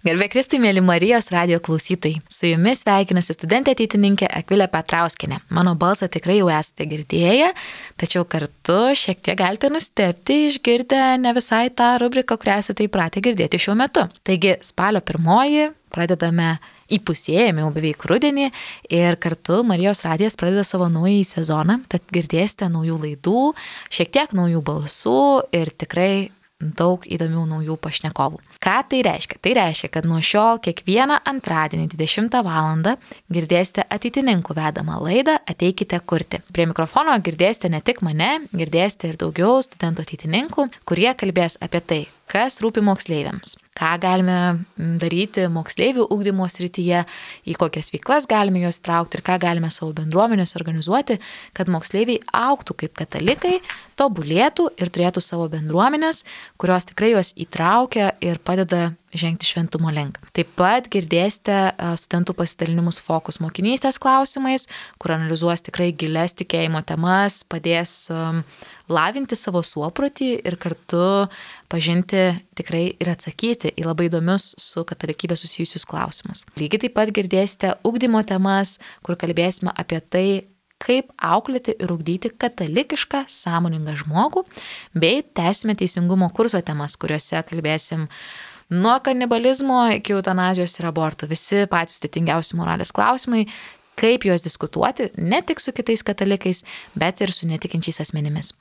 Garbė Kristui, mėly Marijos radijo klausytojai. Su jumis sveikinasi studentė ateitininkė Akvilė Petrauskinė. Mano balsą tikrai jau esate girdėję, tačiau kartu šiek tiek galite nustebti išgirdę ne visai tą rubriką, kurią esate įpratę girdėti šiuo metu. Taigi spalio 1 pradedame įpusėjame jau beveik rudenį ir kartu Marijos radijas pradeda savo naująjį sezoną, tad girdėsite naujų laidų, šiek tiek naujų balsų ir tikrai daug įdomių naujų pašnekovų. Ką tai reiškia? Tai reiškia, kad nuo šiol kiekvieną antradienį 20 val. Girdėsite ateitininkų vedamą laidą Ateikite kurti. Prie mikrofono girdėsite ne tik mane, girdėsite ir daugiau studentų ateitininkų, kurie kalbės apie tai, kas rūpi moksleiviams, ką galime daryti moksleivių ugdymo srityje, į kokias veiklas galime juos traukti ir ką galime savo bendruomenės organizuoti, kad moksleiviai augtų kaip katalikai, tobulėtų ir turėtų savo bendruomenės, kurios tikrai juos įtraukia ir padeda žengti šventumo link. Taip pat girdėsite studentų pasidalinimus fokus mokinystės klausimais, kur analizuos tikrai gilias tikėjimo temas, padės lavinti savo suoprotį ir kartu pažinti tikrai ir atsakyti į labai įdomius su katalikybė susijusius klausimus. Lygiai taip pat girdėsite ugdymo temas, kur kalbėsime apie tai, kaip auklėti ir ugdyti katalikišką sąmoningą žmogų, bei tęsime teisingumo kurso temas, kuriuose kalbėsim nuo kanibalizmo iki eutanazijos ir abortų. Visi patys sudėtingiausi moralės klausimai, kaip juos diskutuoti ne tik su kitais katalikais, bet ir su netikinčiais asmenimis.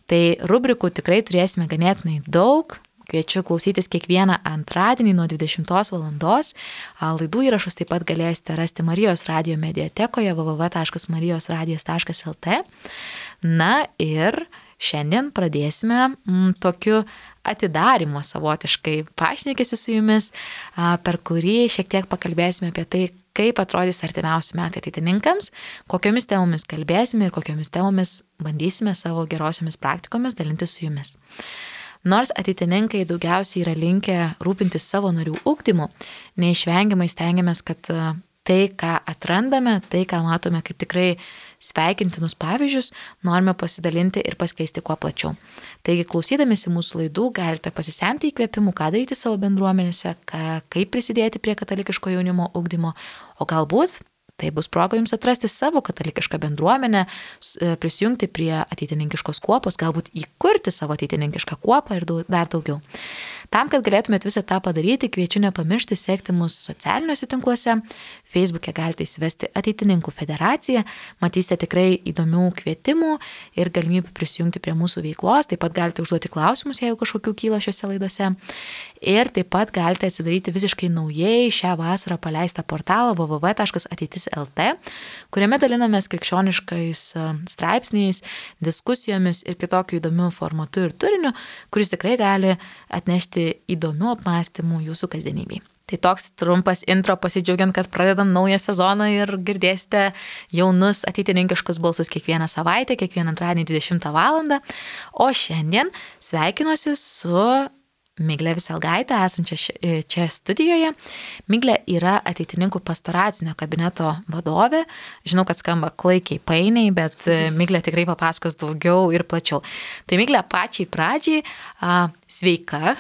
Tai rubrikų tikrai turėsime ganėtinai daug. Kviečiu klausytis kiekvieną antradienį nuo 20 val. Laidų įrašus taip pat galėsite rasti Marijos radijo mediatekoje www.marijosradijas.lt. Na ir šiandien pradėsime tokiu atidarimo savotiškai pašnekesiu su jumis, per kurį šiek tiek pakalbėsime apie tai, kaip atrodys artimiausi metai ateitininkams, kokiomis temomis kalbėsime ir kokiomis temomis bandysime savo gerosiomis praktikomis dalintis su jumis. Nors ateitininkai daugiausiai yra linkę rūpintis savo narių ugdymu, neišvengiamai stengiamės, kad tai, ką atrandame, tai, ką matome kaip tikrai sveikintinus pavyzdžius, norime pasidalinti ir paskleisti kuo plačiau. Taigi, klausydamėsi mūsų laidų, galite pasisemti įkvėpimų, ką daryti savo bendruomenėse, kaip prisidėti prie katalikiško jaunimo ugdymo, o galbūt tai bus proga jums atrasti savo katalikišką bendruomenę, prisijungti prie ateitininkiškos kuopos, galbūt įkurti savo ateitininkišką kuopą ir dar daugiau. Tam, kad galėtumėt visą tą padaryti, kviečiu nepamiršti sekti mus socialiniuose tinkluose. Facebook'e galite įsivesti Ateitininkų federaciją, matysite tikrai įdomių kvietimų ir galimybių prisijungti prie mūsų veiklos. Taip pat galite užduoti klausimus, jeigu kažkokių kyla šiuose laidose. Ir taip pat galite atsidaryti visiškai naujai šią vasarą paleistą portalą www.ateitis.lt, kuriame dalinamės krikščioniškais straipsniais, diskusijomis ir kitokiu įdomiu formatu ir turiniu, kuris tikrai gali atnešti įdomių apmąstymų jūsų kasdienybei. Tai toks trumpas intro pasidžiaugiant, kad pradedam naują sezoną ir girdėsite jaunus ateitininkiškus balsus kiekvieną savaitę, kiekvieną antradienį 20 val. O šiandien sveikinuosi su Miglė Viselgaitė, esančia čia studijoje. Miglė yra ateitininkų pastoracinio kabineto vadovė. Žinau, kad skamba klaikiai painiai, bet Miglė tikrai papasakos daugiau ir plačiau. Tai Miglė, pačiai pradžiai, sveika.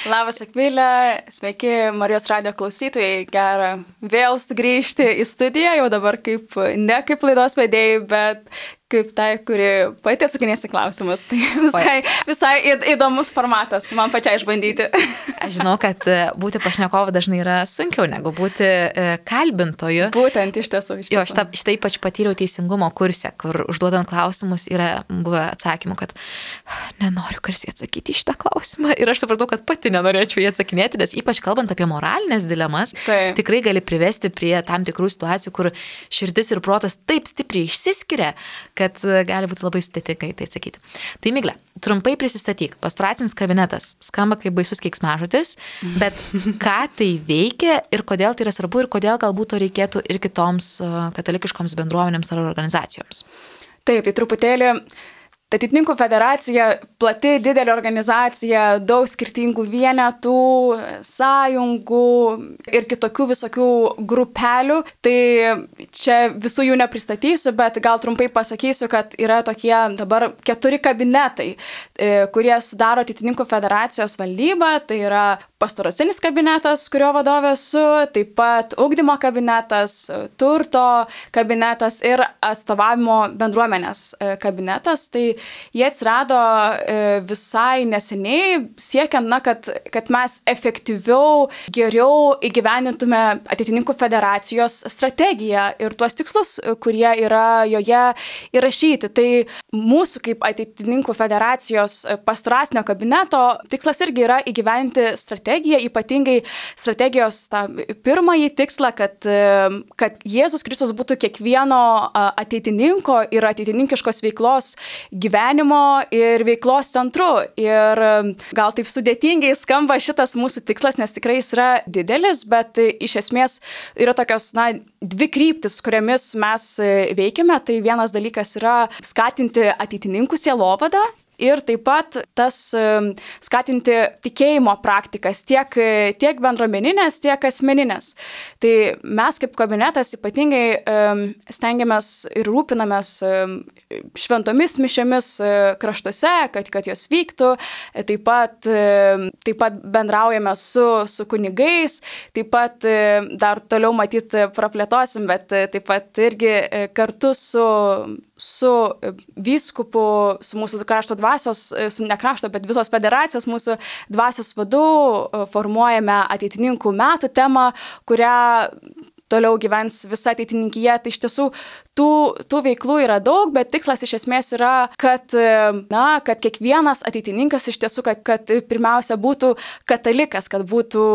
Labas, Akvilė, sveiki Marijos radijo klausytojai, gera vėl sugrįžti į studiją, jau dabar ne kaip laidos vedėjai, bet kaip tai, kuri pati atsakinės į klausimus. Tai visai įdomus formatas, man pačiai išbandyti. Aš žinau, kad būti pašnekovu dažnai yra sunkiau negu būti kalbintoju. Būtent iš tiesų. Jo, štai ypač patyriau teisingumo kurse, kur užduodant klausimus yra buvę atsakymų, kad nenoriu garsiai atsakyti į šitą klausimą. Ir aš supratau, kad pati nenorėčiau jį atsakinėti, nes ypač kalbant apie moralinės dilemas, tikrai gali privesti prie tam tikrų situacijų, kur širdis ir protas taip stipriai išsiskiria, kad gali būti labai sudėtinga tai atsakyti. Tai Miglė, trumpai prisistatyk. Pastoracinis kabinetas skamba kaip baisus keiksmažodis, bet ką tai veikia ir kodėl tai yra svarbu ir kodėl galbūt to reikėtų ir kitoms katalikiškoms bendruomenėms ar organizacijoms? Taip, tai truputėlį Ateitininkų federacija plati, didelė organizacija, daug skirtingų vienetų, sąjungų ir kitokių visokių grupelių. Tai čia visų jų nepristatysiu, bet gal trumpai pasakysiu, kad yra tokie dabar 4 kabinetai, kurie sudaro Ateitininkų federacijos valdybą. Tai yra pastoracinis kabinetas, kurio vadovė esu, taip pat ugdymo kabinetas, turto kabinetas ir atstovavimo bendruomenės kabinetas. Tai jie atsirado visai neseniai, siekiant, kad mes efektyviau, geriau įgyvenintume Ateitininkų federacijos strategiją ir tuos tikslus, kurie yra joje įrašyti. Tai mūsų kaip Ateitininkų federacijos pastoracinio kabineto tikslas irgi yra įgyventi strategiją, ypatingai strategijos tą pirmąjį tikslą, kad Jėzus Kristus būtų kiekvieno ateitininko ir ateitininkiškos veiklos gyvenimo ir veiklos centru. Ir gal taip sudėtingai skamba šitas mūsų tikslas, nes tikrai jis yra didelis, bet iš esmės yra tokios, dvi kryptis, kuriamis mes veikiame. Tai vienas dalykas yra skatinti ateitininkų sielovadą. Ir taip pat tas skatinti tikėjimo praktikas, tiek bendruomeninės, tiek asmeninės. Tai mes kaip kabinetas ypatingai stengiamės ir rūpinamės šventomis mišiomis kraštuose, kad jos vyktų. Taip pat bendraujame su kunigais, taip pat dar toliau matyti praplėtosim, bet taip pat irgi kartu su vyskupu, su mūsų krašto dvasios, ne krašto, bet visos federacijos mūsų dvasios vadu formuojame ateitininkų metų temą, kurią toliau gyvens visa ateitininkija. Tai iš tiesų tų veiklų yra daug, bet tikslas iš esmės yra, kad kiekvienas ateitininkas iš tiesų, kad pirmiausia būtų katalikas, kad būtų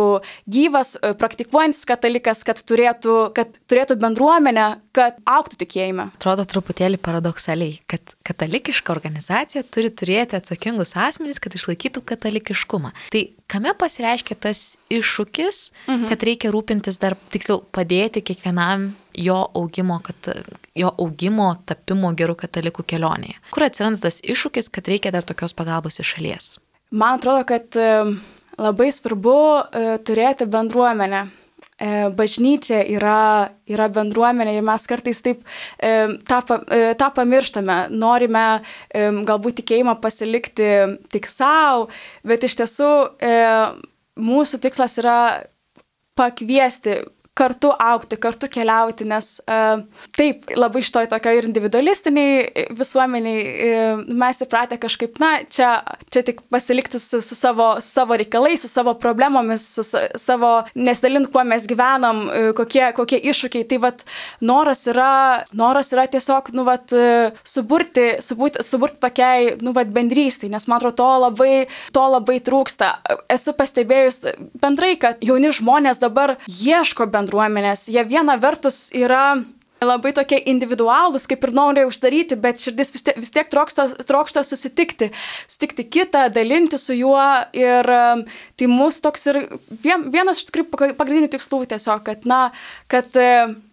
gyvas, praktikuojantis katalikas, kad turėtų bendruomenę, kad augtų tikėjime. Atrodo truputėlį paradoksaliai, kad katalikiška organizacija turi turėti atsakingus asmenys, kad išlaikytų katalikiškumą. Tai kame pasireiškia tas iššūkis, kad reikia rūpintis dar, tiksliau, padėti kiekvienam jo augimo tapimo gerų katalikų kelionėje? Kur atsiranda tas iššūkis, kad reikia dar tokios pagalbos iš šalies? Man atrodo, kad labai svarbu turėti bendruomenę. Bažnyčia yra bendruomenė ir mes kartais taip tą pamirštame. Norime galbūt tikėjimą pasilikti tik savo, bet iš tiesų mūsų tikslas yra pakviesti kartu augti, kartu keliauti, nes taip, labai šitoj tokio ir individualistiniai visuomeniai mes įpratę kažkaip, čia tik pasilikti su savo reikalais, su savo problemomis, su savo nesidalint, kuo mes gyvenam, kokie iššūkiai. Tai noras yra tiesiog, suburti tokiai, bendrystei, nes man atrodo, to labai trūksta. Esu pastebėjus bendrai, kad jauni žmonės dabar ieško bendruomenės. Jie viena vertus yra labai tokie individualūs, kaip ir nori uždaryti, bet širdis vis tiek trokšta susitikti kitą, dalinti su juo. Ir tai mūsų toks ir vienas iš tikrųjų pagrindinių tikslų tiesiog,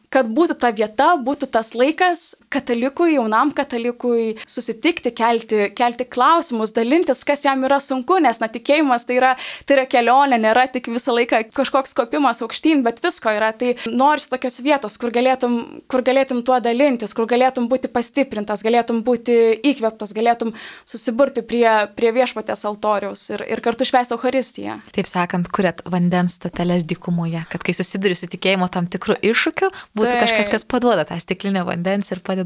kad būtų ta vieta, būtų tas laikas katalikui, jaunam katalikui susitikti, kelti klausimus, dalintis, kas jam yra sunku, nes tikėjimas tai yra kelionė, nėra tik visą laiką kažkoks kopimas aukštyn, bet visko yra. Tai norisi tokios vietos, kur galėtum tuo dalintis, kur galėtum būti pastiprintas, galėtum būti įkvėptas, galėtum susiburti prie viešpaties altoriaus ir kartu švęsti Eucharistiją. Taip sakant, kuriat vandens stoteles dykumoje, kad kai susiduri su tikėjimo tam tikrų iššūkių, būtų kažkas, kas paduoda tą stiklinę vandens ir padeda.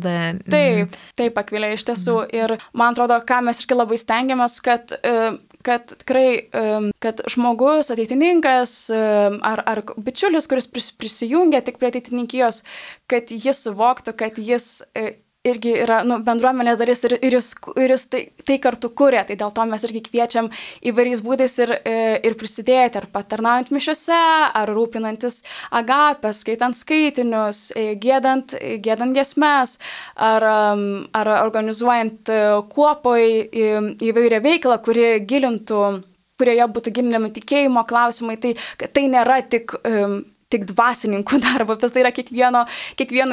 Taip, Akvilė, iš tiesų. Ir man atrodo, ką mes irgi labai stengiamės, kad tikrai, kad žmogus, ateitininkas ar bičiulis, kuris prisijungia tik prie ateitininkijos, kad jis suvoktų, kad jis irgi yra bendruomenės dalis ir jis tai kartu kuria. Tai dėl to mes irgi kviečiam įvairiais būdais ir prisidėti, ar patarnaujant mišiose, ar rūpinantis agapę, skaitant skaitinius, giedant giesmes, ar organizuojant kuopoj įvairią veiklą, kurioje būtų gilinami tikėjimo klausimai. Tai nėra tik tik dvasininkų darbo, bet tai yra kiekvieno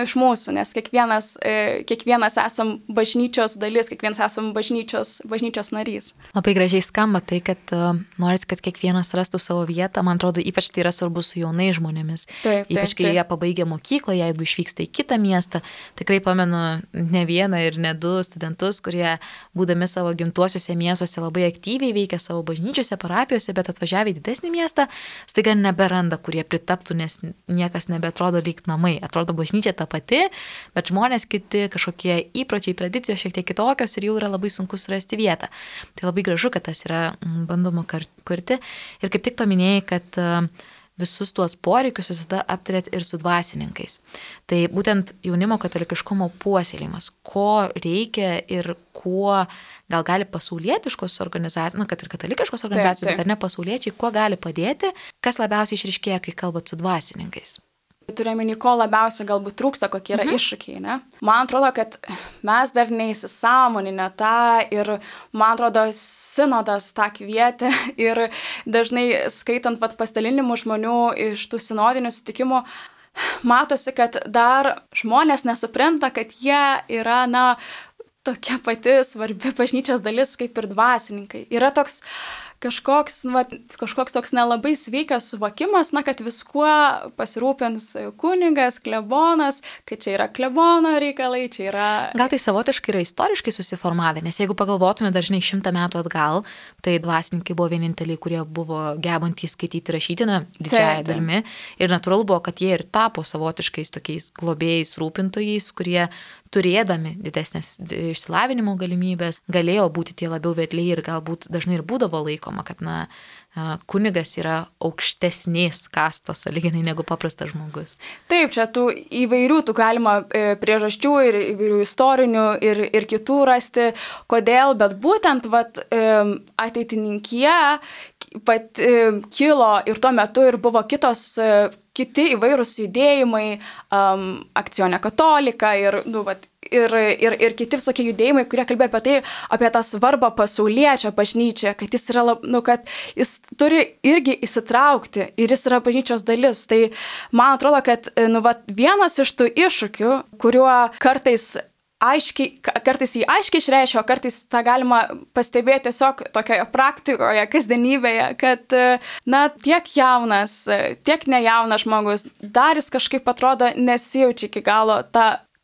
iš mūsų, nes kiekvienas esam bažnyčios dalis, kiekvienas esam bažnyčios narys. Labai gražiai skamba tai, kad noris, kad kiekvienas rastų savo vietą. Man atrodo, ypač tai yra svarbu su jaunais žmonėmis. Ypač kai jie pabaigia mokyklą, jeigu išvyksta į kitą miestą. Tikrai pamenu ne vieną ir ne du studentus, kurie būdami savo gimtuosiuose miestuose labai aktyviai veikia savo bažnyčiose, parapijose, bet atvažiavę į didesnį miestą, staiga neberanda, kurie pritaptų, nes niekas nebeatrodo lyg namai. Atrodo bažnyčia ta pati, bet žmonės kiti, kažkokie įpročiai, tradicijos šiek tiek kitokios ir jau yra labai sunku surasti vietą. Tai labai gražu, kad tas yra bandoma kurti. Ir kaip tik paminėjai, kad visus tuos poreikius visada aptarėt ir su dvasininkais. Tai būtent jaunimo katalikiškumo puoselėjimas, ko reikia ir kuo gal gali pasaulietiškos organizacijos, kad ir katalikiškos organizacijos, bet ar ne pasauliečiai, kuo gali padėti, kas labiausiai išryškėja, kai kalbat su dvasininkais. Turėjome, ko labiausiai galbūt trūksta, kokie yra iššūkiai, ne? Man atrodo, kad mes dar neįsisąmoninę tą ir, man atrodo, sinodas tą kvietė ir dažnai skaitant pasidalinimų žmonių iš tų sinodinių sutikimų, matosi, kad dar žmonės nesupranta, kad jie yra, tokia pati svarbi bažnyčios dalis kaip ir dvasininkai. Yra toks kažkoks toks nelabai sveikas suvokimas, kad viskuo pasirūpins kunigas, klebonas, kad čia yra klebono reikalai, čia yra... Gal tai savotiškai yra istoriškai susiformavę, nes jeigu pagalvotume dažnai 100 metų atgal, tai dvasininkai buvo vieninteliai, kurie buvo gebantys skaityti rašytiną didžiąją dalimi. Ir natūralu buvo, kad jie ir tapo savotiškais tokiais globėjais, rūpintojais, kurie turėdami didesnės išsilavinimo galimybės, galėjo būti tie labiau vedliai ir galbūt dažnai ir būdavo laikoma, kad kunigas yra aukštesnės kastos sąlyginai negu paprastas žmogus. Taip, čia tų įvairių, galima priežasčių ir įvairių istorinių ir kitų rasti, kodėl, bet būtent ateitininkija kilo ir tuo metu ir buvo kiti įvairūs judėjimai, Akcione Katolika ir kiti visokie judėjimai, kurie kalbėjo apie tai, apie tą svarbą pasauliečio bažnyčioje, kad jis yra, kad jis turi irgi įsitraukti ir jis yra bažnyčios dalis. Tai man atrodo, kad vienas iš tų iššūkių, kuriuo kartais jį aiškiai išreiškia, o kartais tą galima pastebėti tiesiog tokioje praktikoje, kasdienybėje, kad tiek jaunas, tiek nejaunas žmogus, dar jis kažkaip atrodo nesijaučia iki galo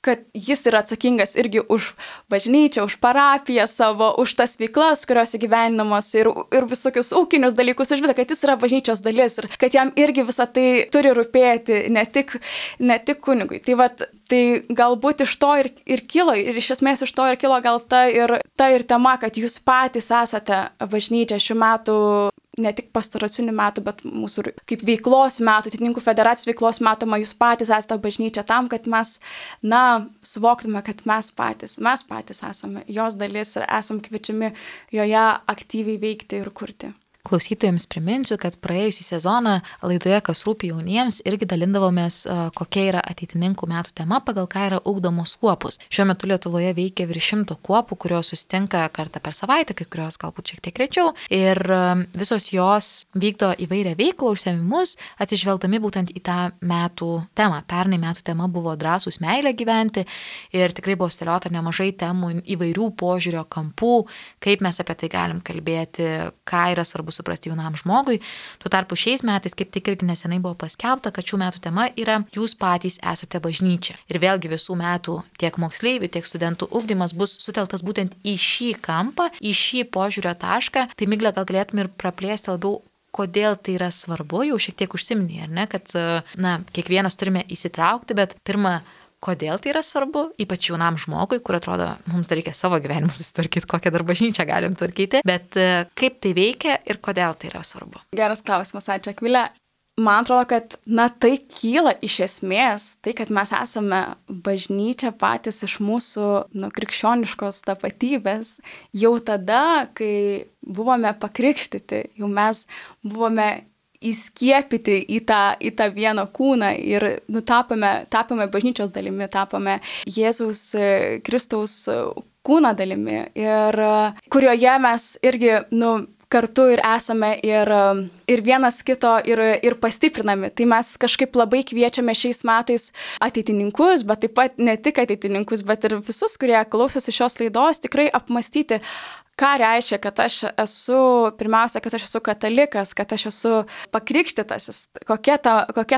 kad jis yra atsakingas irgi už bažnyčią, už parapiją savo, už tas veiklas, kurios įgyvendinamos ir visokius ūkinius dalykus, už visą, kad jis yra bažnyčios dalis ir kad jam irgi visą tai turi rūpėti, ne tik kunigui. Tai galbūt iš to ir kilo, ir iš esmės iš to ir kilo gal ta ir tema, kad jūs patys esate bažnyčia šių metų, ne tik pastoracinių metų, bet mūsų kaip veiklos metų, Ateitininkų federacijos veiklos metoma, jūs patys esate bažnyčia tam, kad mes, suvoktume, kad mes patys esame jos dalis ir esam kviečiami joje aktyviai veikti ir kurti. Klausytojams priminsiu, kad praėjusį sezoną laidoje Kas rūpi jauniems irgi dalindavomės, kokia yra ateitininkų metų tema, pagal ką yra ugdomos kuopos. Šiuo metu Lietuvoje veikia virš 100 kuopų, kurios susitinka kartą per savaitę, kai kurios galbūt šiek tiek rečiau. Ir visos jos vykdo įvairią veiklą, užsiėmimus, atsižvelgdami būtent į tą metų temą. Pernai metų tema buvo drąsūs meilę gyventi ir tikrai buvo steliota nemažai temų įvairių požiūrio kampų, kaip mes apie tai galim kalbėti, ką yra svarbu suprasti jaunam žmogui. Tuo tarpu šiais metais, kaip tik irgi nesenai buvo paskelbta, kad šių metų tema yra jūs patys esate bažnyčia. Ir vėlgi visų metų tiek moksleivių, tiek studentų ugdymas bus suteltas būtent į šį kampą, į šį požiūrio tašką. Tai Miglė, gal galėtum ir praplėsti labiau, kodėl tai yra svarbu, jau šiek tiek užsiminė, ar ne, kad kiekvienas turime įsitraukti, bet pirmą, kodėl tai yra svarbu, ypač jaunam žmogui, kur atrodo, mums reikia savo gyvenimą susitvarkyti, kokią dar bažnyčią galim tvarkyti, bet kaip tai veikia ir kodėl tai yra svarbu. Geras klausimas, ačiū Akvilė. Man atrodo, kad tai kyla iš esmės, tai, kad mes esame bažnyčia patys iš mūsų krikščioniškos tapatybės, jau tada, kai buvome pakrikštyti, jau mes buvome įskiepyti į tą vieną kūną ir tapome bažnyčios dalimi, tapome Jėzaus Kristaus kūno dalimi ir kurioje mes irgi kartu ir esame ir vienas kito ir pastiprinami. Tai mes kažkaip labai kviečiame šiais metais ateitininkus, bet taip pat ne tik ateitininkus, bet ir visus, kurie klausosi šios laidos, tikrai apmastyti, ką reiškia, kad aš esu, pirmiausia, kad aš esu katalikas, kad aš esu pakrikštytasis, kokia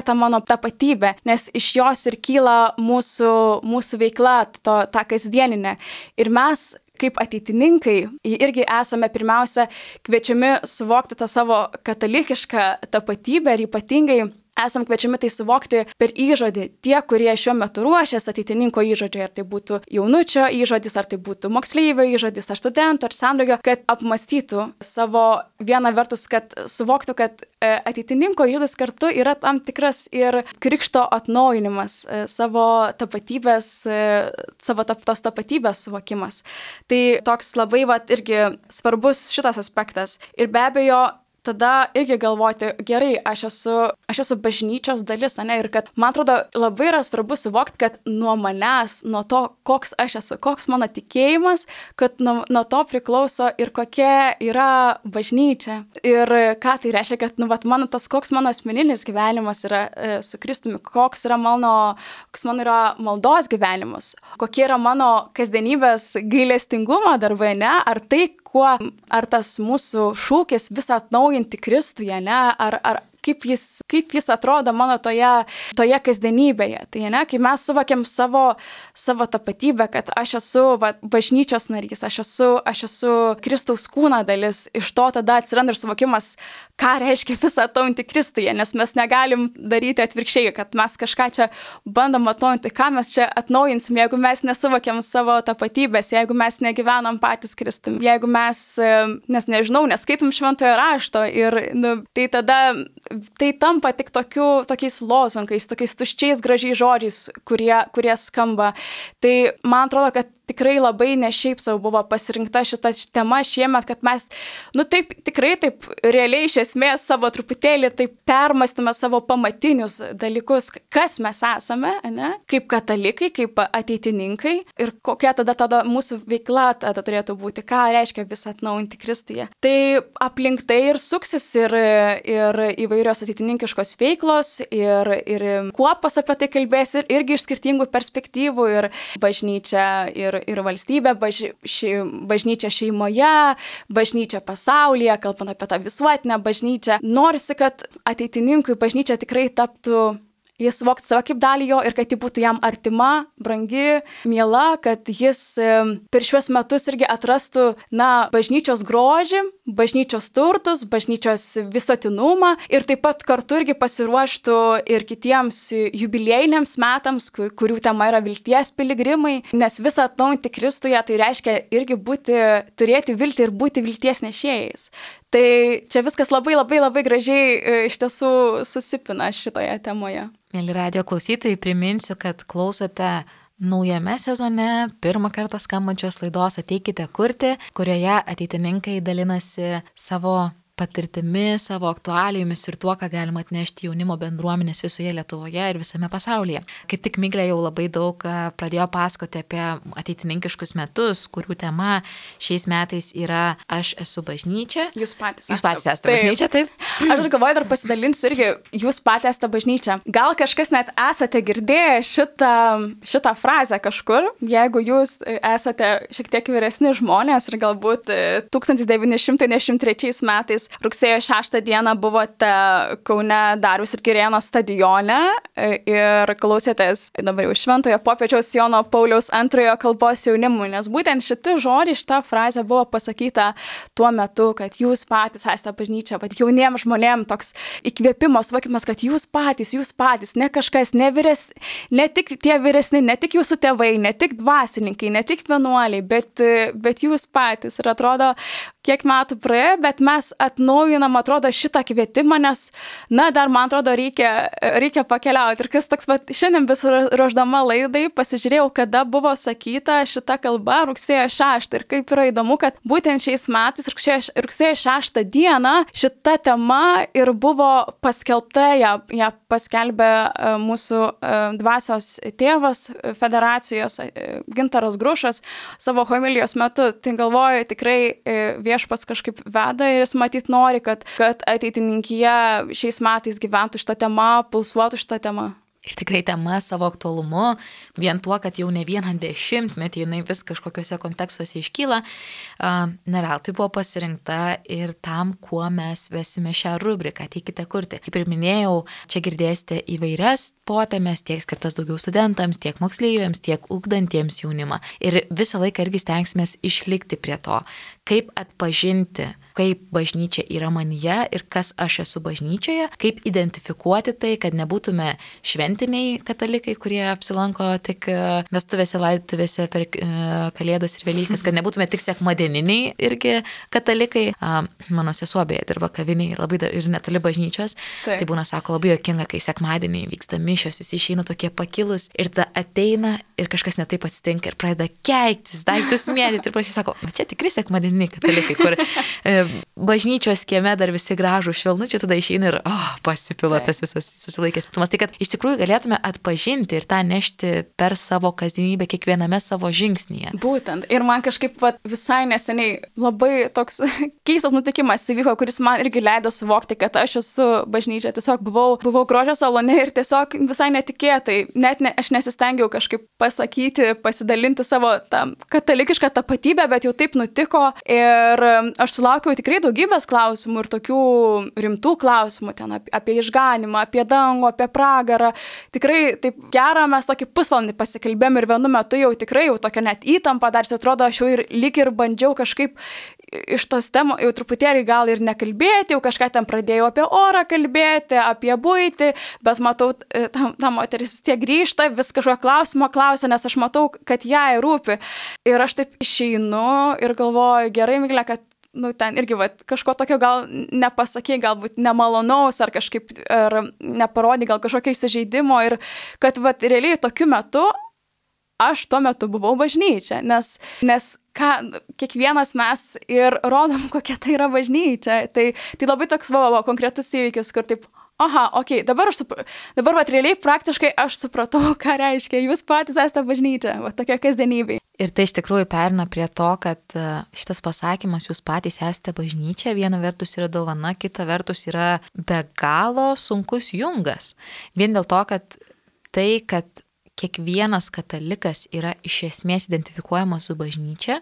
ta mano tapatybė, nes iš jos ir kyla mūsų veikla, ta kasdieninė. Ir mes, kaip ateitininkai, irgi esame pirmiausia kviečiami suvokti tą savo katalikišką tapatybę ir ypatingai esam kviečiami tai suvokti per įžodį. Tie, kurie šiuo metu ruošias ateitininko įžodžiui, ar tai būtų jaunučio įžodis, ar tai būtų moksleivio įžodis, ar studento, ar sendraugio, kad apmastytų savo vieną vertus, kad suvoktų, kad ateitininko įžodis kartu yra tam tikras ir krikšto atnaujinimas, savo tapatybės, tos tapatybės suvokimas. Tai toks labai irgi svarbus šitas aspektas. Ir be abejo, tada irgi galvoti, gerai, aš esu bažnyčios dalis, ane, ir kad, man atrodo, labai yra svarbu suvokti, kad nuo manęs, nuo to, koks aš esu, koks mano tikėjimas, kad nuo to priklauso ir kokia yra bažnyčia. Ir ką tai reiškia, kad, koks mano asmeninis gyvenimas yra su Kristumi, koks mano yra maldos gyvenimas, kokie yra mano kasdienybės gailestingumo darbai, ne, ar tas mūsų šūkis visą atnaujinti Kristuje, ne, ar kaip jis atrodo mano toje kasdienybėje. Tai ne, kai mes suvokiam savo tapatybę, kad aš esu bažnyčios narys, aš esu Kristaus kūno dalis, iš to tada atsiranda ir suvokimas, ką reiškia visą atnaujinti Kristuje, nes mes negalim daryti atvirkščiai, kad mes kažką čia bandom atnaujinti, ką mes čia atnaujinsim, jeigu mes nesuvokiam savo tapatybės, jeigu mes negyvenam patys Kristumi, jeigu mes, neskaitom šventojo rašto ir tai tada tai tampa tik tokiais lozungais, tokiais tuščiais gražiais žodžiais, kurie skamba. Tai man atrodo, kad tikrai labai ne šiaip savo buvo pasirinkta šita tema šiemet, kad mes, tikrai realiai iš esmės savo truputėlį taip permastyme savo pamatinius dalykus, kas mes esame, ne? Kaip katalikai, kaip ateitininkai ir kokia tada mūsų veikla tada turėtų būti, ką reiškia visą atnaujinti Kristuje. Tai aplink tai ir suksis ir įvairios ateitininkiškos veiklos ir kuopos apie tai kalbės ir irgi iš skirtingų perspektyvų ir bažnyčia ir valstybė, bažnyčia šeimoje, bažnyčia pasaulyje, kalbant apie tą visuotinę bažnyčią. Norisi, kad ateitininkui bažnyčia tikrai taptų, jis suvoktų save kaip dalį jo ir kad ji būtų jam artima, brangi, miela, kad jis per šiuos metus irgi atrastų, bažnyčios grožį, bažnyčios turtus, bažnyčios visuotinumą ir taip pat kartu irgi pasiruoštų ir kitiems jubiliejiniams metams, kurių tema yra vilties piligrimai, nes visą atnaujinti Kristuje tai reiškia irgi turėti viltį ir būti vilties nešėjais. Tai čia viskas labai, labai, labai gražiai iš tiesų susipina šitoje temoje. Mėly radijo klausytojai, priminsiu, kad klausote naujame sezone pirmą kartą skambančios laidos Ateikite kurti, kurioje ateitininkai dalinasi savo patirtimi, savo aktualijomis ir tuo, ką galima atnešti jaunimo bendruomenės visoje Lietuvoje ir visame pasaulyje. Kaip tik Miglė jau labai daug pradėjo pasakoti apie ateitininkiškus metus, kurių tema šiais metais yra Aš esu bažnyčia. Jūs patys esate bažnyčia, taip? Aš galvoju, dar pasidalinsiu irgi, jūs patys esate bažnyčia. Gal kažkas net esate girdėję šitą frazę kažkur, jeigu jūs esate šiek tiek vyresni žmonės ir galbūt 1993 metais rugsėjo 6 dieną buvote Kaune Dariaus ir Girėno stadione ir klausėtės dabar jau Šventojo popiežiaus Jono Pauliaus II kalbos jaunimui, nes būtent šita frazė buvo pasakyta tuo metu, kad jūs patys esate bažnyčia, bet jauniems žmonėms toks įkvėpimo suvokimas, kad jūs patys, ne kažkas, ne tik tie vyresni, ne tik jūsų tėvai, ne tik dvasininkai, ne tik vienuoliai, bet jūs patys. Ir atrodo, kiek metų praėjo, bet mes atnaujinam, atrodo, šitą kvietimą, nes, dar man atrodo, reikia pakeliauti. Ir kas toks, šiandien vis ruoždama laidai pasižiūrėjau, kada buvo sakyta šita kalba rugsėjo 6. Ir kaip yra įdomu, kad būtent šiais metais rugsėjo 6 dieną šita tema ir buvo paskelbta, ją paskelbė mūsų dvasios tėvas federacijos Gintaras Grušas savo homilijos metu. Tai galvoju, tikrai Viešpats kažkaip veda ir jis matyt nori, kad ateitininkija šiais metais gyventų šitą temą, pulsuotų šitą temą. Ir tikrai tema savo aktualumu, vien tuo, kad jau ne vieną dešimtmetį jinai vis kažkokiuose kontekstuose iškyla, ne veltui buvo pasirinkta ir tam, kuo mes vesime šią rubriką, ateikite kurti. Kaip ir minėjau, čia girdėsite įvairias potemes, tiek skirtas daugiau studentams, tiek moksleiviams, tiek ugdantiems jaunimą. Ir visą laiką irgi stengsimės išlikti prie to, kaip atpažinti, kaip bažnyčia yra manyje ir kas aš esu bažnyčioje, kaip identifikuoti tai, kad nebūtume šventiniai katalikai, kurie apsilanko tik vestuvėse, laidotuvėse per Kalėdas ir Velykas, kad nebūtume tik sekmadieniniai irgi katalikai. Mano sesuo beje dirba kaviniai ir netoli bažnyčios. Tai būna, sako, labai juokinga, kai sekmadieniai vyksta mišios, visi išeina tokie pakilus ir tada ateina ir kažkas netaip atsitinka ir pradeda keiktis, daiktus mėtyti ir prašy, sako, čia tikrai sekmadieniniai katalikai, kur bažnyčios kieme dar visi gražų švelnučių, tada išeina ir pasipila tas visas susilaikęs piktumas. Tai kad iš tikrųjų galėtume atpažinti ir tą nešti per savo kasdienybę kiekviename savo žingsnyje. Būtent. Ir man kažkaip visai neseniai labai toks keistas nutikimas įvyko, kuris man irgi leido suvokti, kad aš esu bažnyčia. Tiesiog buvau grožio salone ir tiesiog visai netikėtai, aš nesistengiau kažkaip pasakyti, pasidalinti savo tą katalikišką tapatybę, bet jau taip nutiko ir aš sulaukiau tikrai daugybės klausimų ir tokių rimtų klausimų ten apie išganimą, apie dangų, apie pragarą. Tikrai taip gera, mes tokį pusvalandį pasikalbėjom ir vienu metu jau tikrai tokia net įtampa, dar atrodo, aš jau lyg ir bandžiau kažkaip iš tos temos jau truputėlį gal ir nekalbėti, jau kažką ten pradėjau apie orą kalbėti, apie buitį, bet matau, ta moteris tiek grįžta, vis kažko klausimo klausia, nes aš matau, kad jai rūpi. Ir aš taip išeinu ir galvoju, gerai, Miglė, kad ten irgi kažko tokio gal nepasakė, galbūt nemalonaus ar kažkaip, ar neparodė gal kažkokio įsižeidimo ir kad realiai tokiu metu aš tuo metu buvau bažnyčia, nes kiekvienas mes ir rodom, kokia tai yra bažnyčia. Tai labai toks konkretus įvykis, kur taip, dabar realiai praktiškai aš supratau, ką reiškia, jūs patys esate bažnyčia, tokia kasdienybė. Ir tai iš tikrųjų perina prie to, kad šitas pasakymas, jūs patys esate bažnyčia, viena vertus yra dovana, kita vertus yra be galo sunkus jungas. Vien dėl to, kad kiekvienas katalikas yra iš esmės identifikuojamas su bažnyčia,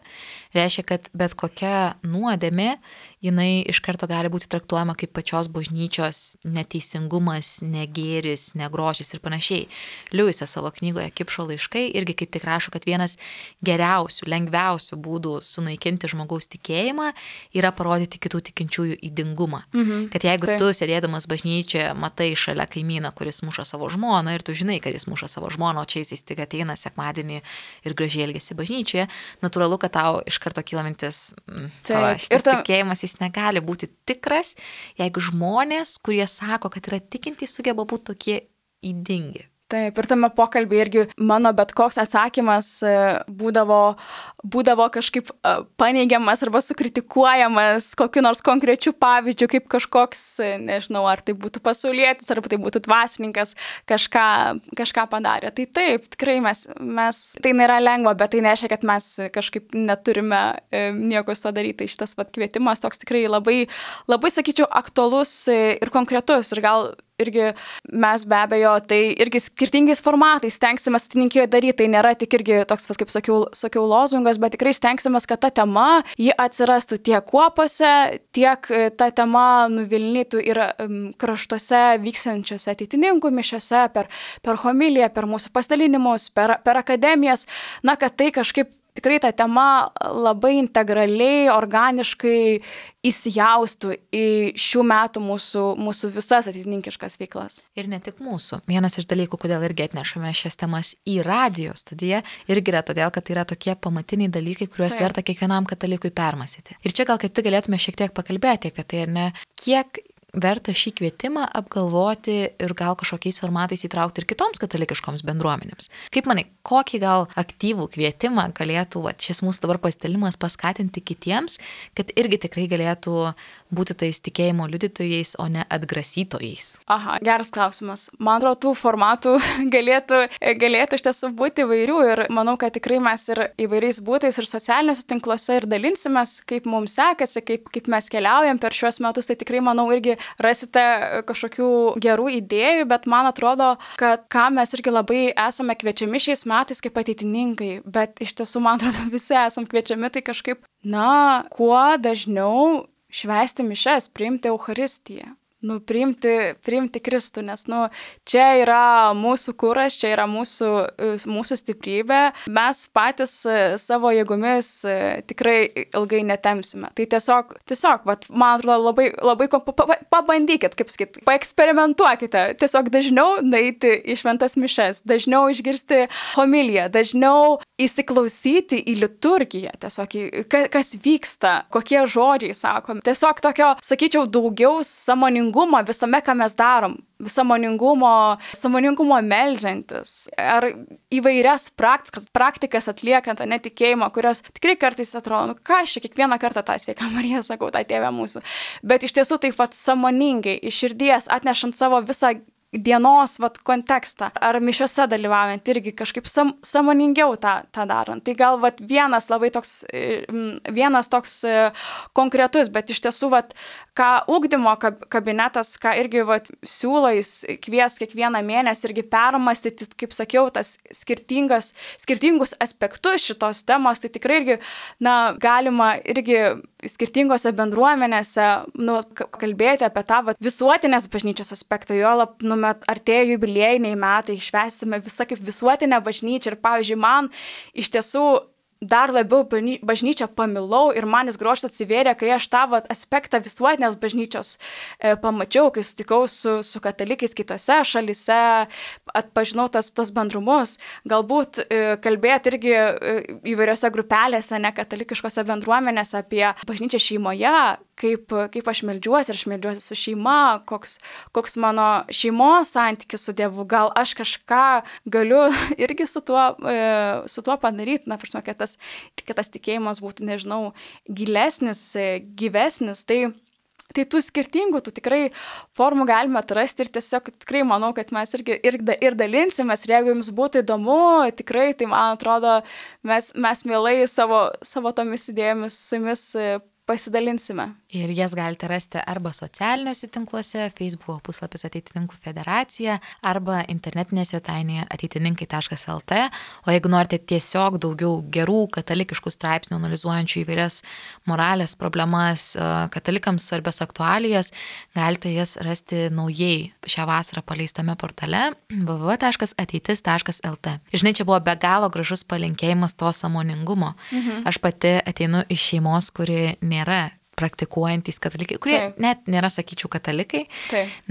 reiškia, kad bet kokia nuodėmė, jinai iš karto gali būti traktuojama kaip pačios bažnyčios neteisingumas, negėris, negrožis ir panašiai. Liujisas savo knygoje Kipšo laiškai irgi kaip tik rašo, kad vienas geriausių, lengviausių būdų sunaikinti žmogaus tikėjimą yra parodyti kitų tikinčiųjų įdingumą. Kad jeigu tu sėdėdamas bažnyčioje matai šalia kaimyną, kuris muša savo žmoną ir tu žinai, kad jis muša savo žmoną, o čia jis tik ateina sekmadienį ir gražiai elgiasi bažnyčioje, natūralu, kad tau iš karto kyla mintis, šitas tikėjimas jis negali būti tikras, jeigu žmonės, kurie sako, kad yra tikintys, sugeba būti tokie įdingi. Taip, ir tame pokalbį irgi mano bet koks atsakymas būdavo kažkaip paneigiamas arba sukritikuojamas kokiu nors konkrečiu pavyzdžiu, kaip kažkoks, nežinau, ar tai būtų pasaulietis, ar tai būtų dvasininkas, kažką padarė. Tai taip, tikrai mes tai nėra lengva, bet tai nereiškia, kad mes kažkaip neturime nieko su to daryti. Tai šitas kvietimas toks tikrai labai, labai, sakyčiau, aktualus ir konkretus ir gal irgi mes be abejo, tai irgi skirtingais formatais stengsime atininkijoje daryti, tai nėra tik irgi toks, kaip sakiau, lozungas, bet tikrai stengsime, kad ta tema, ji atsirastų tiek kuopose, tiek ta tema nuvilnytų ir kraštuose vykstančiose ateitininkų mišiose, per homiliją, per mūsų pasidalinimus, per akademijas, kad tai kažkaip tikrai ta tema labai integraliai, organiškai įsijaustų į šių metų mūsų visas ateitininkiškas veiklas. Ir ne tik mūsų. Vienas iš dalykų, kodėl irgi atnešame šias temas į radijo studiją, irgi yra todėl, kad tai yra tokie pamatiniai dalykai, kuriuos verta kiekvienam katalikui permąstyti. Ir čia gal kaip tik galėtume šiek tiek pakalbėti apie tai, ar ne, kiek verta šį kvietimą apgalvoti ir gal kažkokiais formatais įtraukti ir kitoms katalikiškoms bendruomenėms. Kaip manai, kokį gal aktyvų kvietimą galėtų šis mūsų dabar pasidalimas paskatinti kitiems, kad irgi tikrai galėtų būti tais tikėjimo liudytojais, o ne atgrasytojais? Aha, geras klausimas. Man atrodo, tų formatų galėtų iš tiesų būti įvairių ir manau, kad tikrai mes ir įvairiais būtais ir socialiniuose tinkluose ir dalinsimės, kaip mums sekasi, kaip mes keliaujam per šiuos metus, tai tikrai manau irgi rasite kažkokių gerų idėjų, bet man atrodo, kad ką mes irgi labai esame kviečiami šiais metais kaip ateitininkai, bet iš tiesų, man atrodo, visi esam kviečiami tai kažkaip, kuo dažniau švęsti mišes, priimti Eucharistiją. Priimti Kristų, nes čia yra mūsų kuras, čia yra mūsų stiprybė, mes patys savo jėgomis tikrai ilgai netemsime. Tai tiesiog man atrodo, labai pabandykit, kaip sakyt, paeksperimentuokite, tiesiog dažniau nueiti į šventas mišes, dažniau išgirsti homiliją, dažniau įsiklausyti į liturgiją, tiesiog kas vyksta, kokie žodžiai sakomi. Tiesiog tokio, sakyčiau, daugiau sąmoningumo visame, ką mes darom, sąmoningumo meldžiantis, ar įvairias praktikas atliekant, netikėjimo, kurios tikrai kartais atrodo, ką aš kiekvieną kartą tą Sveiką Mariją sakau, tą Tėvę mūsų, bet iš tiesų taip sąmoningai, iš širdies, atnešant savo visą dienos kontekstą, ar mišiose dalyvaujant irgi kažkaip sąmoningiau tą darant. Tai gal vienas toks konkretus, bet iš tiesų ką ugdymo kabinetas, ką irgi siūlo, jis kvies kiekvieną mėnesį irgi permastyti, kaip sakiau, tas skirtingus aspektus šitos temos, tai tikrai irgi, galima irgi skirtingose bendruomenėse kalbėti apie tą visuotinės bažnyčios aspektą, juolab artėja jubiliejiniai metai, švęsime visą kaip visuotinę bažnyčią ir, pavyzdžiui, man iš tiesų dar labiau bažnyčią pamilau ir man jis grožis atsivėrė, kai aš tą aspektą visuotinės bažnyčios pamačiau, kai sutikau su katalikais kitose šalyse, atpažinau tos bendrumus, galbūt kalbėti irgi įvairiose grupelėse, nekatalikiškose bendruomenėse apie bažnyčią šeimoje, kaip aš meldžiuosi ir aš meldžiuosi su šeima, koks mano šeimos santykis su Dievu, gal aš kažką galiu irgi su tuo padaryti, kad tas tikėjimas būtų, nežinau, gilesnis, gyvesnis, tai tų skirtingų, tikrai formų galime atrasti ir tiesiog tikrai manau, kad mes ir dalinsimės ir jeigu jums būtų įdomu, tikrai, tai man atrodo, mes mielai savo tomis idėjomis su jumis pasidalinsime. Ir jas galite rasti arba socialiniuose tinkluose, Facebook puslapis Ateitininkų federacija, arba internetinėje svetainėje ateitininkai.lt. O jeigu norite tiesiog daugiau gerų katalikiškų straipsnių, analizuojančių įvairias moralės problemas, katalikams svarbias aktualijas, galite jas rasti naujai šią vasarą paleistame portale www.ateitis.lt. Žinai, čia buvo be galo gražus palinkėjimas to sąmoningumo. Aš pati ateinu iš šeimos, kuri nėra praktikuojantys katalikai, kurie net nėra, sakyčiau, katalikai,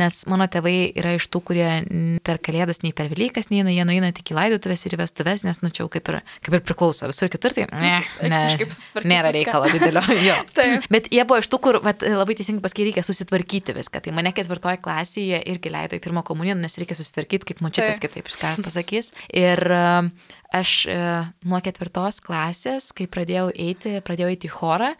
nes mano tėvai yra iš tų, kurie per Kalėdas, nei per Velykas neina, jie nueina tik į laidotuvės ir į vestuves, nes čia kaip ir priklauso. Visur kitur tai nėra reikalo didelio. Bet jie buvo iš tų, kur labai teisingai pasakė, reikia susitvarkyti viską. Tai mane 4 klasėje irgi leido į pirmą komuniją, nes reikia susitvarkyti, kaip močiutės kitaip pasakys. Ir aš nuo 4 klasės, kai pradėjau eiti į chorą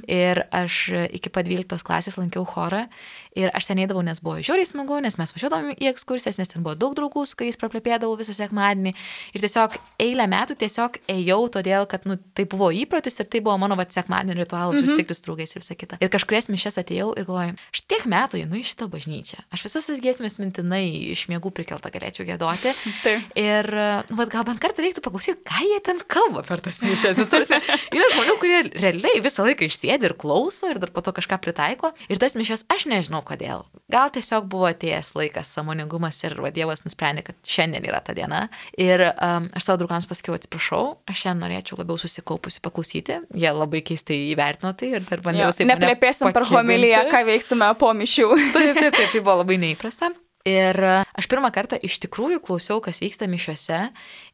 ir aš iki pat 12 klasės lankiau chorą ir aš ten eidavau, nes buvo žiauriai smagu, nes mes važiuodavom į ekskursijas, nes ten buvo daug draugų, su kuriais praplepėdavau visą sekmadienį ir tiesiog eilę metų tiesiog ėjau, todėl, kad tai buvo įprotis ir tai buvo mano sekmadienio ritualas susitikti su draugais ir visą kitą. Ir kažkurias mišias atėjau ir galvoju, aš tiek metų einu į šitą bažnyčią, aš visas tas giesmės mintinai iš miegų prikeltą galėčiau giedoti. Ir gal bent kartą reiktų paklausyti, ką jie ten kalba per tas mišias. Yra žmonių, kurie realiai visą laiką išsėdi ir klauso ir dar po to kažką pritaiko. Ir tas mišias aš nežinau, nežinau kodėl. Gal tiesiog buvo atėjęs laikas, sąmoningumas ir Dievas nusprendė, kad šiandien yra ta diena. Ir aš savo draugams pasakiau, atsiprašau, aš šiandien norėčiau labiau susikaupusi paklausyti. Jie labai keistai įvertino tai ir dar bandžiau taip neplėpėsim per homiliją, ką veiksime po mišių. Taip, tai buvo labai neįprasta. Ir aš pirmą kartą iš tikrųjų klausiau, kas vyksta mišiuose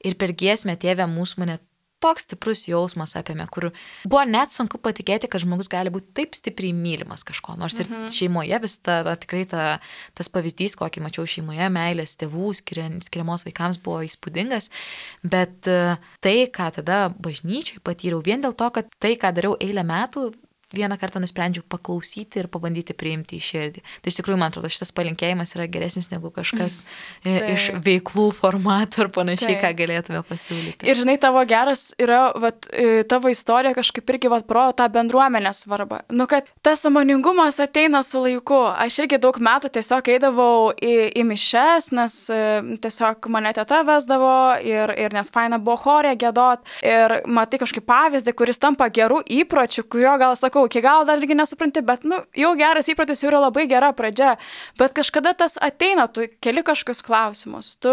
ir per giesmę Tėve mūsų mane toks stiprus jausmas apėmė, kur buvo net sunku patikėti, kad žmogus gali būti taip stipriai mylimas kažko. Nors ir šeimoje vis tikrai tas pavyzdys, kokį mačiau šeimoje, meilės tėvų skiriamos vaikams buvo įspūdingas, bet tai, ką tada bažnyčiai patyriau, vien dėl to, kad tai, ką dariau eilę metų, vieną kartą nusprendžiau paklausyti ir pabandyti priimti į širdį. Tai iš tikrųjų, man atrodo, šitas palinkėjimas yra geresnis negu kažkas iš veiklų formatų ar panašiai, ką galėtume pasiūlyti. Ir žinai, tavo geras yra, tavo istorija kažkaip irgi parodo tą bendruomenės svarbą. Kad tas sąmoningumas ateina su laiku. Aš irgi daug metų tiesiog eidavau į mišes, nes tiesiog mane teta vesdavo ir nes faina buvo chorė giedot. Ir matai kažkaip pavyzdį, kuris tampa gerų įpročių, kurio gal sakau, iki gal dar irgi nesupranti, bet jau geras įprotis jau yra labai gera pradžia, bet kažkada tas ateina, tu keli kažkokius klausimus, tu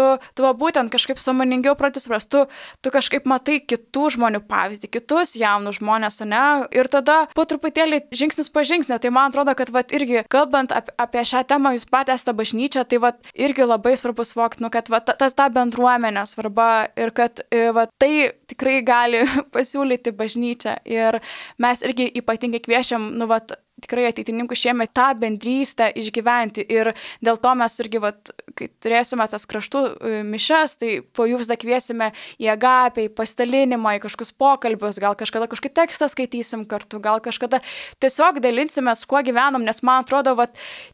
būtent kažkaip sąmoningiau pradėti suprasti, tu kažkaip matai kitų žmonių pavyzdį, kitus jaunus žmonės, ne, ir tada po truputėlį žingsnis po žingsnio, tai man atrodo, kad irgi kalbant apie šią temą, jūs pat esate bažnyčia, tai irgi labai svarbu suvokti, kad tas ta bendruomenė svarba ir kad tai tikrai gali pasiūlyti bažnyčia ir mes irgi ypatingai kviečiam, tikrai ateitininkų šiemet tą bendrystę išgyventi ir dėl to mes irgi, kai turėsime tas kraštų mišes, tai po jų visada kviesime į agapę, į pasidalinimą, į kažkokius pokalbius, gal kažkada kažkokį tekstą skaitysim kartu, gal kažkada tiesiog dalinsimės, kuo gyvenam, nes man atrodo,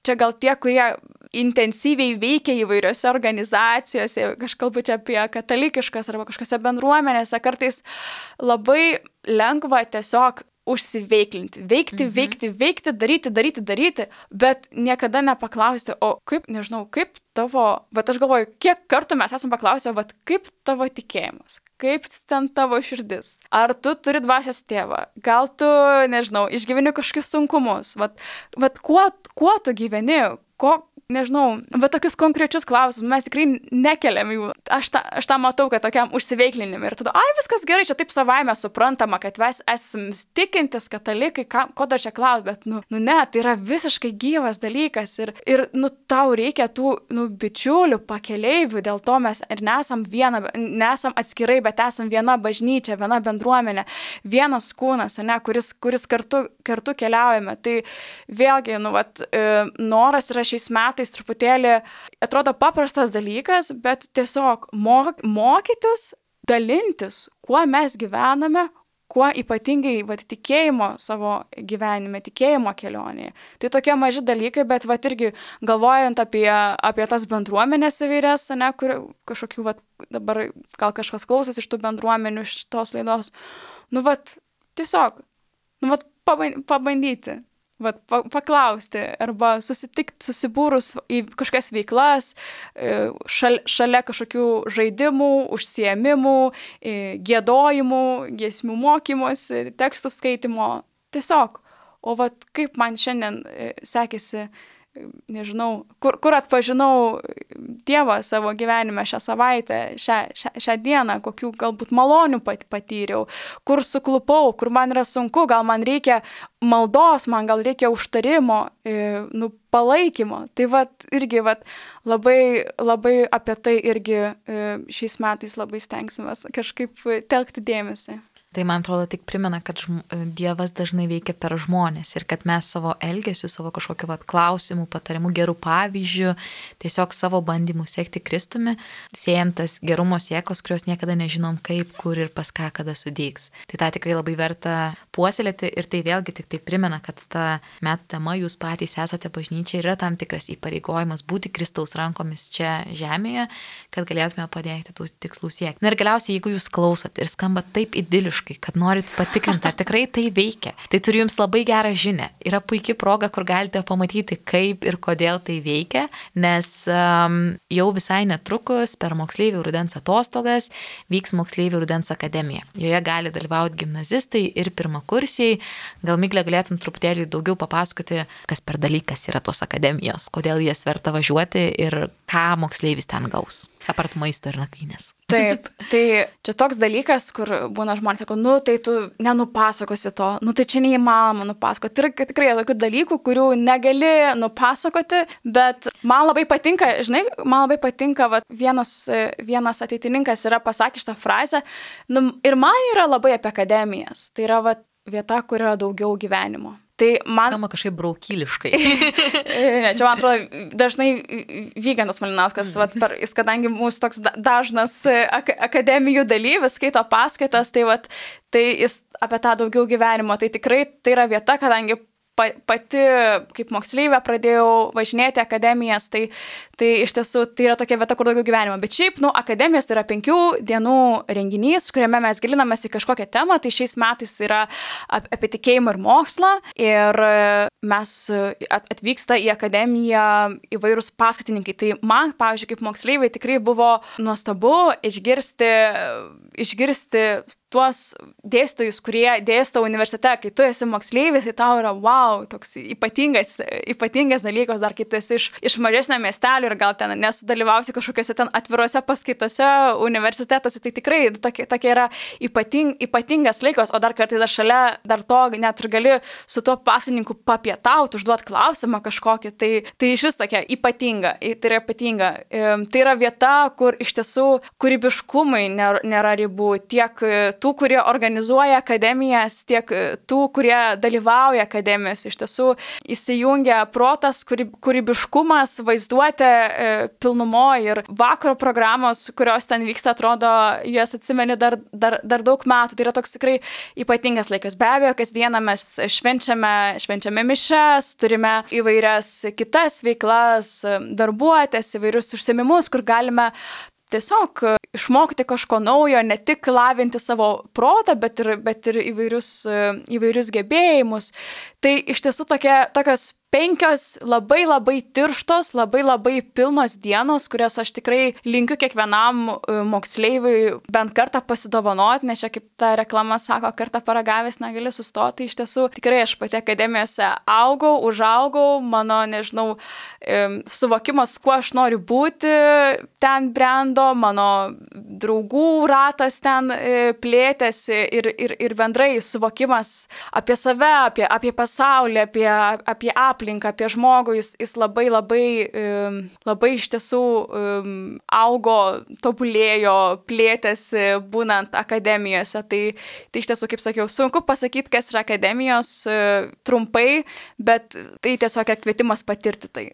čia gal tie, kurie intensyviai veikia įvairiose organizacijose, aš kalbu čia apie katalikiškas arba kažkokiose bendruomenėse, kartais labai lengva tiesiog užsiveiklinti, veikti, daryti, bet niekada nepaklausti, o kaip, nežinau, kaip tavo, aš galvoju, kiek kartų mes esam paklausę, kaip tavo tikėjimas, kaip ten tavo širdis, ar tu turi dvasios tėvą, gal tu, nežinau, išgyveni kažkokius sunkumus, kuo tu gyveni, nežinau, tokius konkrečius klausimus mes tikrai nekeliam jų. Aš tą matau, kad tokiam užsiveiklinimui ir tada, viskas gerai, čia taip savaime suprantama, kad mes esame tikintis katalikai, ko dar čia klaus, bet, ne, tai yra visiškai gyvas dalykas ir tau reikia tų, bičiulių, pakeleivių, dėl to mes ir nesam atskirai, bet esam viena bažnyčia, viena bendruomenė, vienas kūnas, ne, kuris kartu keliaujame. Tai vėlgi, noras yra šiais metais truputėlį, atrodo paprastas dalykas, bet tiesiog mokytis, dalintis, kuo mes gyvename, kuo ypatingai tikėjimo savo gyvenime, tikėjimo kelionėje. Tai tokie maži dalykai, bet irgi galvojant apie tas bendruomenės įvairias, ne, kur kažkokių, dabar gal kažkas klausosi iš tų bendruomenių, iš tos laidos, tiesiog, pabandyti. Paklausti arba susitikti, susibūrus į kažkokias veiklas, šalia kažkokių žaidimų, užsiėmimų, giedojimų, giesmių mokymosi, tekstų skaitimo. Tiesiog, o kaip man šiandien sekėsi, nežinau, kur atpažinau Dievą savo gyvenime šią savaitę, šią dieną, kokių galbūt malonių patyriau, kur suklupau, kur man yra sunku, gal man reikia maldos, man gal reikia užtarimo, palaikymo. Tai irgi labai, labai apie tai irgi šiais metais labai stengsimės kažkaip telkti dėmesį. Tai man atrodo tik primena, kad Dievas dažnai veikia per žmonės ir kad mes savo elgesiu, savo kažkokiu klausimų, patarimų, gerų pavyzdžių, tiesiog savo bandymų sekti Kristumi, siejam tas gerumo sėklas, kurios niekada nežinom kaip, kur ir pas ką kada sudygs. Tai tą tikrai labai verta puoselėti ir tai vėlgi tik tai primena, kad ta metų tema, jūs patys esate bažnyčia, yra tam tikras įpareigojimas būti Kristaus rankomis čia žemėje, kad galėtume padėti tų tikslų siekti. Na ir galiausiai, jeigu jūs klausot ir skamba taip idiliškai, kūrybiškai, kad norit patikrinti, ar tikrai tai veikia. Tai turiu jums labai gerą žinią. Yra puikia proga, kur galite pamatyti, kaip ir kodėl tai veikia, nes jau visai netrukus per moksleivių rudens atostogas vyks moksleivių rudens akademija. Joje gali dalyvauti gimnazistai ir pirmakursiai. Gal Miglė galėtum truputėlį daugiau papasakoti, kas per dalykas yra tos akademijos, kodėl jas verta važiuoti ir ką moksleivis ten gaus, apart maisto ir nakvynės. Taip, tai čia toks dalykas, kur būna žmonės sako, nu tai tu nenupasakosi to, nu tai čia neįmanoma nupasakoti. Ir tikrai tokių dalykų, kurių negali nupasakoti, bet man labai patinka, žinai, va, vienas ateitininkas yra pasakęs šitą frazę, nu, ir man yra labai apie akademijas, tai yra va, vieta, kur yra daugiau gyvenimo. Tai man... Skamba kažkaip braukyliškai. Ne, čia man atrodo, dažnai Vygantas Malinauskas, jis kadangi mūsų toks dažnas akademijų dalyvis, skaito paskaitas, tai jis apie tą daugiau gyvenimo. Tai tikrai tai yra vieta, kadangi pati kaip moksleivė pradėjau važinėti akademijas, tai iš tiesų tai yra tokia vieta, kur daugiau gyvenimo. Bet šiaip, akademijos tai yra 5 dienų renginys, kuriame mes gilinamės į kažkokią temą, tai šiais metais yra apie tikėjimą ir mokslą ir mes atvyksta į akademiją įvairūs paskatininkai. Tai man, pavyzdžiui, kaip moksleivai tikrai buvo nuostabu išgirsti tuos dėstytojus, kurie dėsto universitete, kai tu esi moksleivis, tai tau yra wow, toks ypatingas dalykas, dar kai tu esi iš mažesnio miestelio ir gal ten nesudalyvausi kažkokiuose ten atvirose paskaitose universitetuose, tai tikrai tokia yra ypatingas laikas, o dar kartais dar šalia dar to net ir gali su tuo pasanininku papietauti, užduoti klausimą kažkokį, tai iš vis tokia ypatinga, tai yra ypatinga. Tai yra vieta, kur iš tiesų kūrybiškumui nėra ribų, tiek tų, kurie organizuoja akademijas, tiek tų, kurie dalyvauja akademijos. Iš tiesų įsijungia protas, kūrybiškumas, vaizduotė pilnumo ir vakaro programos, kurios ten vyksta, atrodo, jas atsimeni dar daug metų. Tai yra toks tikrai ypatingas laikas. Be abejo, kasdieną mes švenčiame mišes, turime įvairias kitas veiklas, darbuotės, įvairius užsiėmimus, kur galime tiesiog išmokti kažko naujo, ne tik lavinti savo protą, bet ir įvairius gebėjimus. Tai iš tiesų tokios 5 labai tirštos, labai pilnos dienos, kurias aš tikrai linkiu kiekvienam moksleiviui bent kartą pasidovanoti, nes čia kaip ta reklama sako, kartą paragavęs negali sustoti. Iš tiesų tikrai aš pati akademijose užaugau, mano, nežinau, suvokimas, kuo aš noriu būti, ten brendo, mano draugų ratas ten plėtėsi ir bendrai suvokimas apie save, apie pasaulį, apie aplinką, apie žmogų, jis labai iš tiesų augo, tobulėjo, plėtėsi būnant akademijose. Tai iš tiesų, kaip sakiau, sunku pasakyti, kas yra akademijos trumpai, bet tai tiesiog yra kvietimas patirti tai.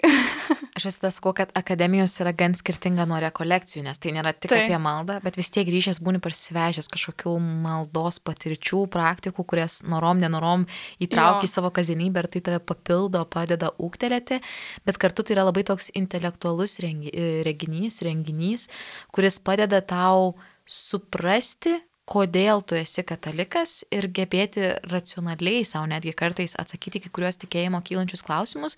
Aš visada sakau, kad akademijos yra gan skirtinga nuo rekolekcijų, nes tai nėra tik apie maldą, bet vis tiek grįžęs būni parsivežęs kažkokių maldos patirčių, praktikų, kurias nenorom įtraukia į savo kasdienybę ir tai tave papildo, padeda ūgtelėti, bet kartu tai yra labai toks intelektualus renginys, kuris padeda tau suprasti, kodėl tu esi katalikas ir gebėti racionaliai savo netgi kartais atsakyti kai kuriuos tikėjimo kylančius klausimus,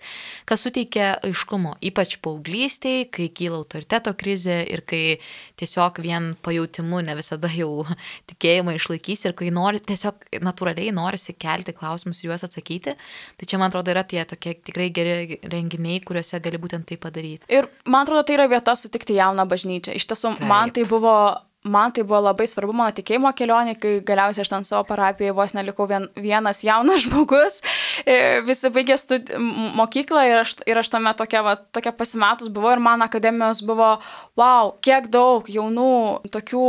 kas suteikia aiškumo, ypač paauglystėj, kai kyla autoriteto krizė ir kai tiesiog vien pajautimu ne visada jau tikėjimą išlaikys ir kai tiesiog natūraliai norisi kelti klausimus ir juos atsakyti. Tai čia, man atrodo, yra tie tokie tikrai geri renginiai, kuriuose gali būtent tai padaryti. Ir man atrodo, tai yra vieta sutikti jauną bažnyčią. Iš tiesų, man tai buvo labai svarbu mano tikėjimo kelionė, kai galiausiai aš ten savo parapijoje vos nelikau vienas jaunas žmogus, visi baigė mokyklą ir aš tame tokia pasimetus buvau ir man akademijos buvo, wow, kiek daug jaunų, tokių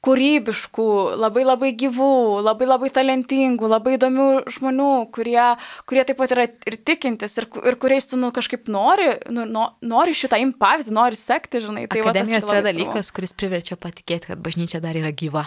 kūrybiškų, labai gyvų, labai talentingų, labai įdomių žmonių, kurie taip pat yra ir tikintis ir kuriais tu kažkaip nori šitą imti pavyzdį, nori sekti, žinai. Tai akademijos yra dalykas, kuris priverčia patikėti, kad bažnyčia dar yra gyva.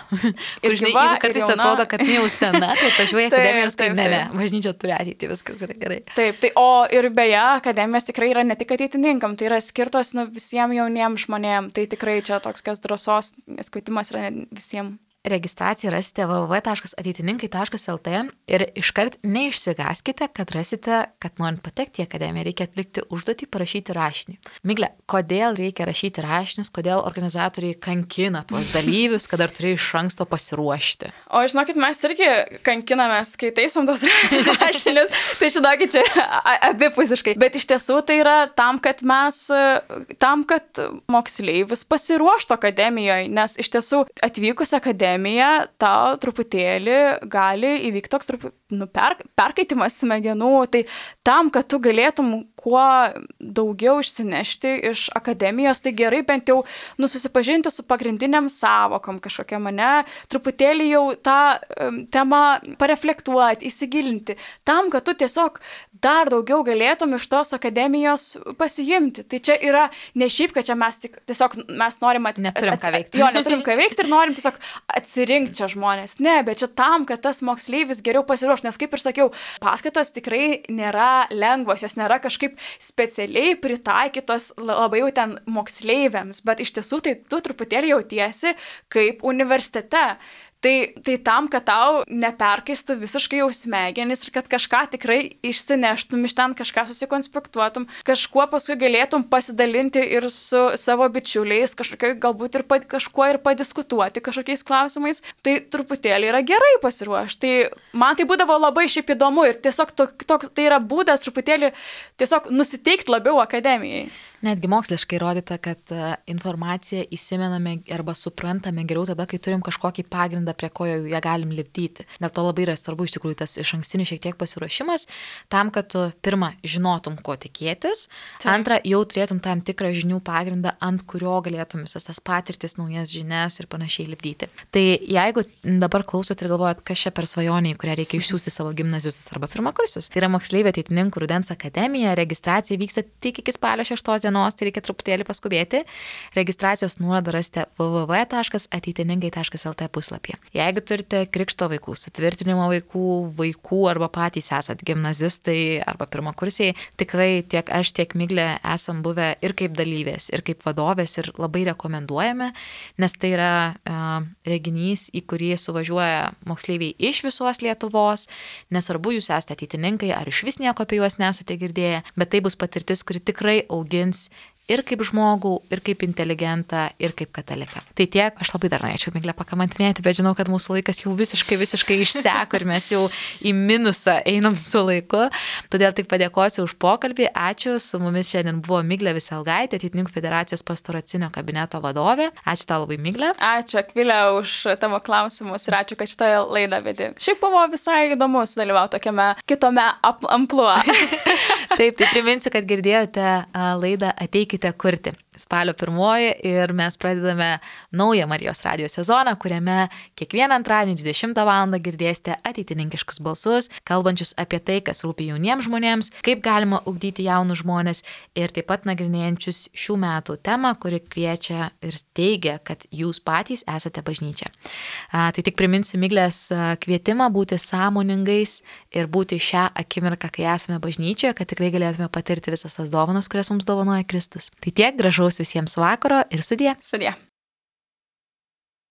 Ir žinai, kartais atrodo, kad jau sena, tai atvažiuoja akademija ir sakai, ne, bažnyčia turi ateiti, viskas yra gerai. Taip, ir beje, akademijos tikrai yra ne tik ateitininkam, tai yra skirtos visiems jauniems žmonėms, tai tikrai čia toks drąsos, nes kvietimas yra visiems. registraciją rasite www.ateitininkai.lt ir iškart neišsigaskite, kad rasite, kad norint patekti į akademiją, reikia atlikti užduotį, parašyti rašinį. Migle, kodėl reikia rašyti rašinius, kodėl organizatoriai kankina tuos dalyvius, kad dar turi iš anksto pasiruošti? O žinokit, mes irgi kankinamės, kai taisom tos rašinius, tai žinokit, čia abipusiškai. Bet iš tiesų tai yra tam, kad moksleivis pasiruoštų akademijoje, nes iš tiesų atvykus akademiją tau truputėlį gali įvykti toks perkaitimas smegenų, tai tam, kad tu galėtum kuo daugiau išsinešti iš akademijos, tai gerai bent jau susipažinti su pagrindiniam savokom kažkokiam, truputėlį jau tą temą pareflektuoti, įsigilinti, tam, kad tu tiesiog dar daugiau galėtum iš tos akademijos pasiimti. Tai čia yra ne šiaip, kad čia mes norim neturim ką veikti. Jo, neturim ką veikti ir norim tiesiog atsirinkti čia žmonės. Ne, bet čia tam, kad tas moksleivis geriau pasiruoš, nes kaip ir sakiau, paskaitos tikrai nėra lengvos, jos nėra kažkaip specialiai pritaikytos labai jau ten moksleiviams, bet iš tiesų tai tu truputėlį jautiesi kaip universitete. Tai tam, kad tau neperkaistų visiškai jau smegenis ir kad kažką tikrai išsineštum iš ten, kažką susikonspektuotum, kažkuo paskui galėtum pasidalinti ir su savo bičiuliais, galbūt ir kažkuo ir padiskutuoti kažkokiais klausimais, tai truputėlį yra gerai pasiruošti. Tai man tai būdavo labai šiaip įdomu ir tiesiog tai yra būdas truputėlį tiesiog nusiteikti labiau akademijai. Netgi moksliškai įrodyta, kad informaciją įsimename arba suprantame geriau tada, kai turim kažkokį pagrindą, prie ko ją galim lipdyti. Dėl to labai yra svarbu iš tikrųjų tas išankstinis šiek tiek pasiruošimas, tam, kad tu pirmą žinotum, ko tikėtis, antrą jau turėtum tam tikrą žinių pagrindą, ant kurio galėtum visas tas patirtis, naujas žinias ir panašiai lipdyti. Tai jeigu dabar klausot ir galvojat, kas čia per svajonė, į kurią reikia išsiųsti savo gimnazistus arba pirmakursius, tai yra moksleivių ateitininkų rudens akademija, registracija vyksta tik iki spalio 6 dienos, tai reikia truputėlį paskubėti. Registracijos nuorodą rasite www.ateitininkai.lt puslapyje. Jeigu turite krikšto vaikų, sutvirtinimo vaikų arba patys esat gimnazistai arba pirmakursiai, tikrai tiek aš, tiek Miglė esam buvę ir kaip dalyvės, ir kaip vadovės ir labai rekomenduojame, nes tai yra reginys, į kurį suvažiuoja moksleiviai iš visos Lietuvos, nesvarbu, jūs esate ateitininkai ar iš vis nieko apie juos nesate girdėję, bet tai bus patirtis, kuri tikrai augins ir kaip žmogų, ir kaip inteligentą, ir kaip kataliką. Tai tiek, aš labai dar norėčiau Miglę pakamantinėti, bet žinau, kad mūsų laikas jau visiškai išseko ir mes jau į minusą einam su laiku. Todėl tik padėkosiu už pokalbį. Ačiū, su mumis šiandien buvo Miglė Viselgaitė, Ateitininkų federacijos pastoracinio kabineto vadovė. Ačiū tau labai, Miglė. Ačiū, Akvilė, už tavo klausimus ir ačiū, kad šitą laidą vedi. Šiaip buvo visai įdomu sudalyvauti tokiame kitome amplua. Taip, tai priminsiu, kad girdėjote laidą Ateikite kurti. Spalio 1 ir mes pradedame naują Marijos radijo sezoną, kuriame kiekvieną antradienį 20 val. Girdėsite ateitininkiškus balsus, kalbančius apie tai, kas rūpi jauniems žmonėms, kaip galima ugdyti jaunus žmonės ir taip pat nagrinėjančius šių metų temą, kuri kviečia ir teigia, kad jūs patys esate bažnyčia. Tai tik priminsiu Miglės kvietimą būti sąmoningais ir būti šią akimirką, kai esame bažnyčioje, kad tikrai galėtume patirti visas tas dovanas, kurias mums dovanoja Kristus. Tai tiek, gražaus visiems vakaro ir sudie. Sudie.